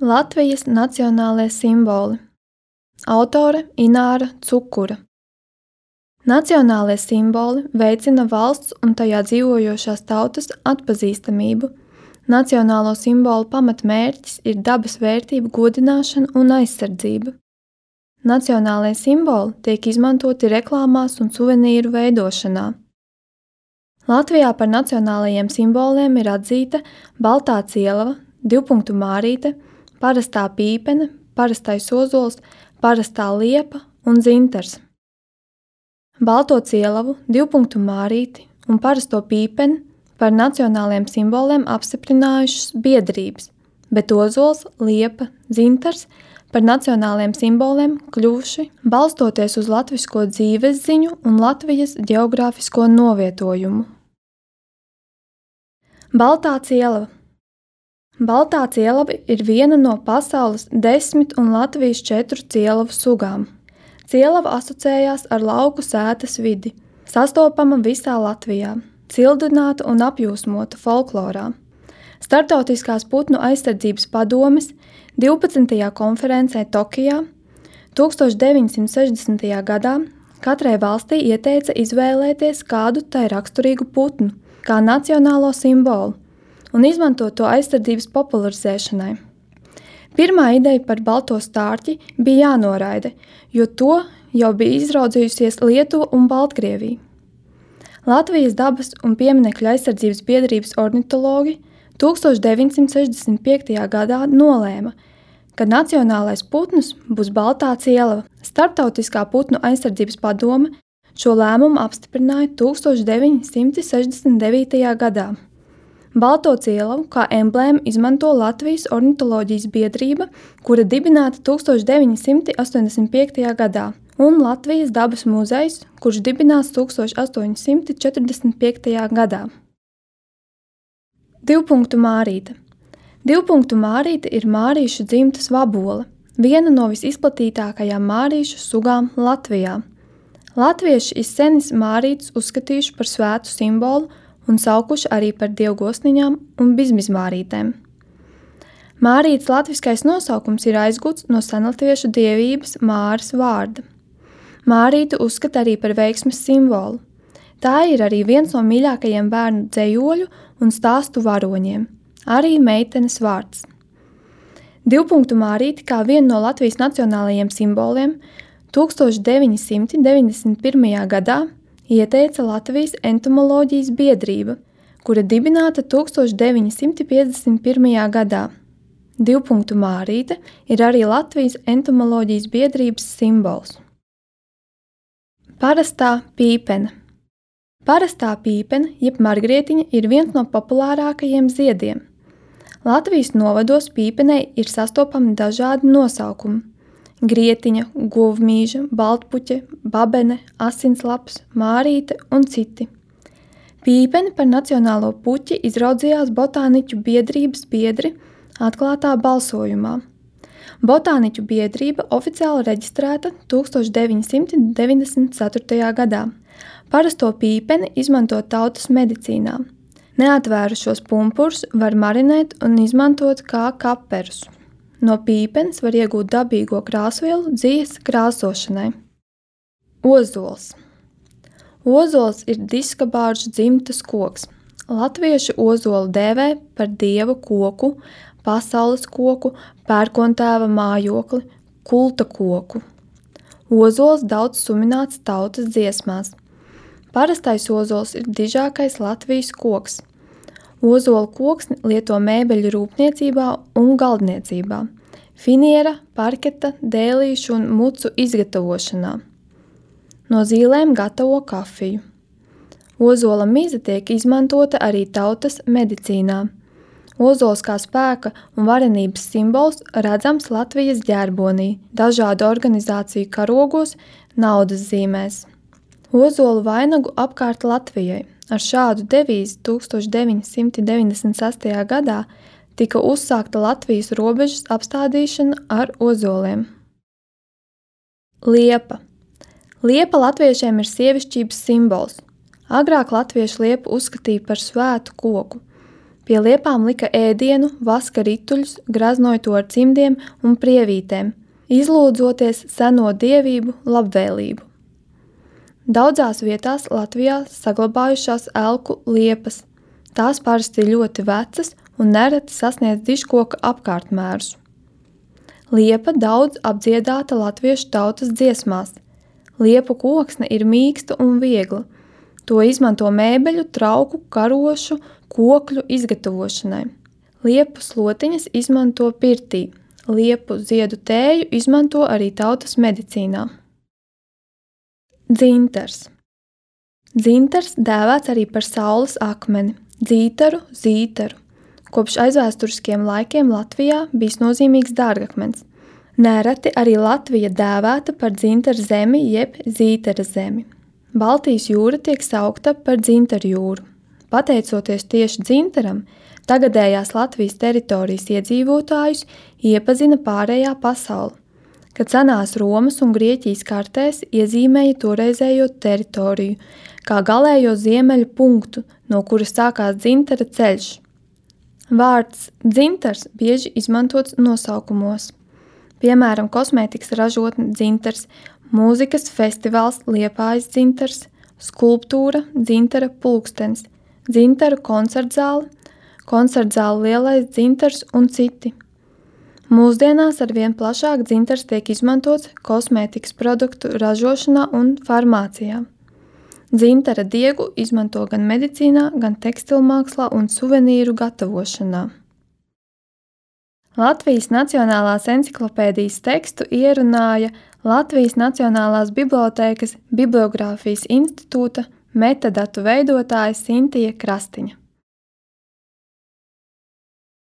Latvijas nacionālie simboli. Autore Ināra Cukura. Nacionālie simboli veicina valsts un tajā dzīvojošās tautas atpazīstamību. Nacionālo simbolu pamatmērķis ir dabas vērtību godināšana un aizsardzība. Nacionālie simboli tiek izmantoti reklāmās un suvenīru veidošanā. Latvijā par nacionālajiem simboliem ir atzīta baltā cielava, divpunktu mārīte, parastā pīpene, parastais ozols, parastā liepa un dzintars. Balto cielavu, divpunktu mārīti un parasto pīpeni par nacionāliem simboliem apstiprinājušas biedrības, bet ozols, liepa, dzintars par nacionāliem simboliem kļuvuši balstoties uz latvisko dzīvesziņu un Latvijas ģeogrāfisko novietojumu. Baltā cielava. Baltā cielava ir viena no pasaules 10 un Latvijas 4 cielavu sugām. Cielava asociējās ar lauku sētas vidi, sastopama visā Latvijā, cildināta un apjūsmota folklorā. Startautiskās putnu aizsardzības padomes 12. konferencē Tokijā 1960. gadā katrai valstī ieteica izvēlēties kādu tai raksturīgu putnu kā nacionālo simbolu un izmantot to aizsardzības popularizēšanai. Pirmā ideja par balto stārķi bija jānoraida, jo to jau bija izraudzījusies Lietuva un Baltkrievija. Latvijas dabas un pieminekļu aizsardzības biedrības ornitologi 1965. gadā nolēma, ka nacionālais putns būs baltā cielava. Starptautiskā putnu aizsardzības padome šo lēmumu apstiprināja 1969. gadā. Balto cielavu kā emblēmu izmanto Latvijas ornitoloģijas biedrība, kura dibināta 1985. gadā, un Latvijas dabas muzejs, kurš dibināts 1845. gadā. Divpunktu mārīte. Divpunktu mārīte ir mārīšu dzimtas vabola, viena no visizplatītākajām mārīšu sugām Latvijā. Latvieši izsenis mārītes uzskatījuši par svētu simbolu un saukuši arī par dievgosniņām un bizmizmārītēm. Mārītes latviskais nosaukums ir aizgūts no senlatviešu dievības Māras vārda. Mārīti uzskata arī par veiksmes simbolu. Tā ir arī viens no mīļākajiem bērnu dzejoļu un stāstu varoņiem, arī meitenes vārds. Divpunktu mārīti kā vienu no Latvijas nacionālajiem simboliem 1991. gadā ieteica Latvijas entomoloģijas biedrība, kura dibināta 1951. gadā. Divpunktu mārīte ir arī Latvijas entomoloģijas biedrības simbols. Parastā pīpene. Parastā pīpene, jeb margrietiņa, ir viens no populārākajiem ziediem. Latvijas novados pīpenei ir sastopami dažādi nosaukumi – grietiņa, govmīža, baltpuķe, babene, asinslaps, mārīte un citi. Pīpeni par nacionālo puķi izraudzījās botāniķu biedrības biedri atklātā balsojumā. Botāniķu biedrība oficiāli reģistrēta 1994. gadā. Parasto pīpeni izmanto tautas medicīnā. Neatvērušos pumpurus var marinēt un izmantot kā kaperus. No pīpenes var iegūt dabīgo krāsvielu dzīves krāsošanai. Ozols. Ozols ir diskabāržu dzimtas koks. Latvieši ozolu dēvē par dieva koku, pasaules koku, pērkontēva mājokli, kulta koku. Ozols daudz sumināts tautas dziesmās. Parastais ozols ir dižākais Latvijas koks. Ozola koksni lieto mēbeļu rūpniecībā un galdniecībā, finiera, parketa, dēlīšu un mucu izgatavošanā. No zīlēm gatavo kafiju. Ozola mize tiek izmantota arī tautas medicīnā. Ozols kā spēka un varenības simbols redzams Latvijas ģerbonī, dažādu organizāciju karogos, naudas zīmēs. Ozolu vainagu apkārt Latvijai. Ar šādu devīzi 1996. gadā tika uzsākta Latvijas robežas apstādīšana ar ozoliem. Liepa. Liepa latviešiem ir sievišķības simbols. Agrāk latviešu liepu uzskatīja par svētu koku. Pie liepām lika ēdienu, vaska rituļus, graznoja to ar cimdiem un prievītēm, izlūdzoties seno dievību labvēlību. Daudzās vietās Latvijā saglabājušās elku liepas. Tās parasti ir ļoti vecas un nereti sasniedz dižkoka apkārtmērus. Liepa daudz apdziedāta latviešu tautas dziesmās. Liepu koksne ir mīksta un viegla. To izmanto mēbeļu, trauku, karošu, kokļu izgatavošanai. Liepu slotiņas izmanto pirtī. Liepu ziedu tēju izmanto arī tautas medicīnā. Dzintars. Dzintars dēvēts arī par saules akmeni, dzītaru, zītaru. Kopš aizvēsturiskiem laikiem Latvijā bijis nozīmīgs dārgakmens. Nereti arī Latvija dēvēta par dzintaru zemi jeb zītara zemi. Baltijas jūra tiek saukta par dzintaru jūru. Pateicoties tieši dzintaram, tagadējās Latvijas teritorijas iedzīvotājus iepazina pārējā pasaule, kad senās Romas un Grieķijas kartēs iezīmēja toreizējo teritoriju, kā galējo ziemeļu punktu, no kuras sākās dzintara ceļš. Vārds dzintars bieži izmantots nosaukumos. Piemēram, kosmētikas ražotne dzintars, mūzikas festivāls Liepājas dzintars, skulptūra dzintara pulkstenis, dzintara koncertzāle lielais dzintars un citi. Mūsdienās arvien plašāk dzintars tiek izmantots kosmētikas produktu ražošanā un farmācijā. Dzintara diegu izmanto gan medicīnā, gan tekstilmākslā un suvenīru gatavošanā. Latvijas Nacionālās enciklopēdijas tekstu ierunāja Latvijas Nacionālās bibliotēkas Bibliogrāfijas institūta metadatu veidotāja Sintija Krastiņa.